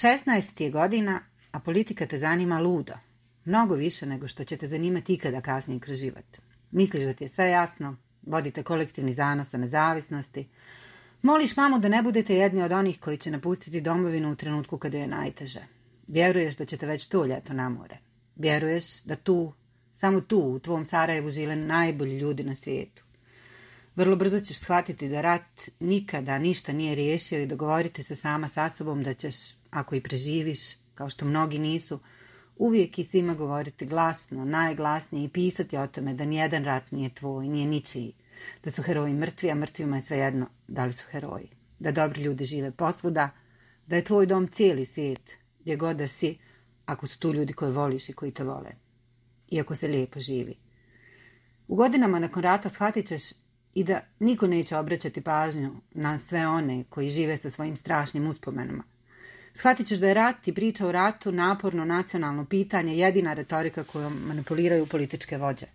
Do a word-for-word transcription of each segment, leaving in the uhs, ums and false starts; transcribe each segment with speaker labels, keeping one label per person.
Speaker 1: šesnaest ti je godina, a politika te zanima ludo. Mnogo više nego što će te zanimati ikada kasnije kroz život. Misliš da ti je sve jasno, vodite kolektivni zanos o nezavisnosti. Moliš mamu da ne budete jedni od onih koji će napustiti domovinu u trenutku kada je najteže. Vjeruješ da ćete već to ljeto na more. Vjeruješ da tu, samo tu, u tvom Sarajevu žive najbolji ljudi na svijetu. Vrlo brzo ćeš shvatiti da rat nikada ništa nije riješio i dogovoriti se sama sa sobom da ćeš, ako i preživiš, kao što mnogi nisu, uvijek i svima govoriti glasno, najglasnije i pisati o tome da nijedan rat nije tvoj, nije ničiji, da su heroji mrtvi, a mrtvima je svejedno da li su heroji, da dobri ljudi žive posvuda, da je tvoj dom cijeli svijet, gdje god da si, ako su tu ljudi koje voliš i koji te vole, iako se lijepo živi. U godinama nakon rata shvatit ćeš i da niko neće obraćati pažnju na sve one koji žive sa svojim strašnim uspomenama. Shvatit ćeš da je rat i priča o ratu naporno nacionalno pitanje, jedina retorika kojom manipuliraju političke vođe.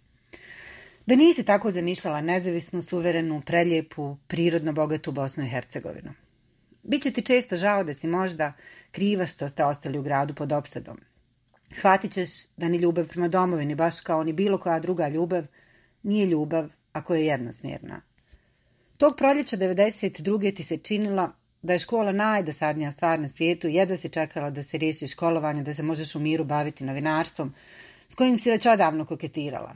Speaker 1: Da nisi tako zamišljala nezavisnu, suverenu, prelijepu, prirodno bogatu Bosnu i Hercegovinu. Biće ti često žao da si možda kriva što ste ostali u gradu pod opsadom. Shvatit ćeš da ni ljubav prema domovini, baš kao ni bilo koja druga ljubav, nije ljubav ako je jednosmjerna. Tog proljeća devedeset druge ti se činila da je škola najdosadnija stvar na svijetu i jedva si čekala da se riješi školovanje, da se možeš u miru baviti novinarstvom, s kojim si već odavno koketirala.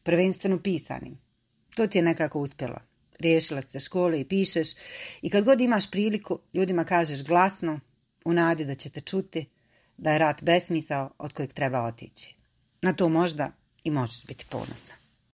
Speaker 1: Prvenstveno pisanim. To ti je nekako uspjelo. Riješila se škole i pišeš i kad god imaš priliku, ljudima kažeš glasno, u nadi da će te čuti, da je rat besmisao od kojeg treba otići. Na to možda i možeš biti ponosna.